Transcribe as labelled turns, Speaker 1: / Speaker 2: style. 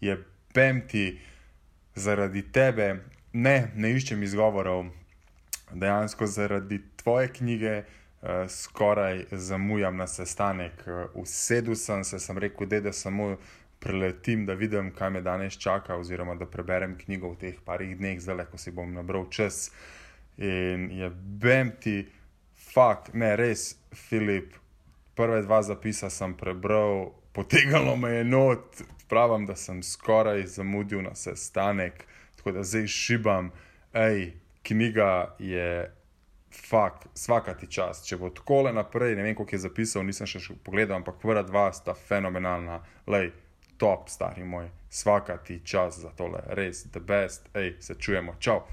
Speaker 1: jebem ti zaradi tebe, ne iščem izgovorov, dejansko zaradi tvoje knjige skoraj zamujam na sestanek. Usedel sem rekel, da samo preletim, da vidim, kaj me danes čaka, oziroma da preberem knjigo v teh parih dneh, zdaj, ko si bom nabral čas. In jebem ti, ne, res, Filip, prve 2 zapisa sem prebral, potegnilo me je not, pravim, da sem skoraj zamudil na sestanek, tako da zdaj šibam. Knjiga je svaka ti čast. Če bo takole naprej, ne vem, koliko je zapisal, nisem še pogledal, ampak prva 2 sta fenomenalna. Top, stari moj, svaka ti čast za tole, res, the best, se čujemo, čau.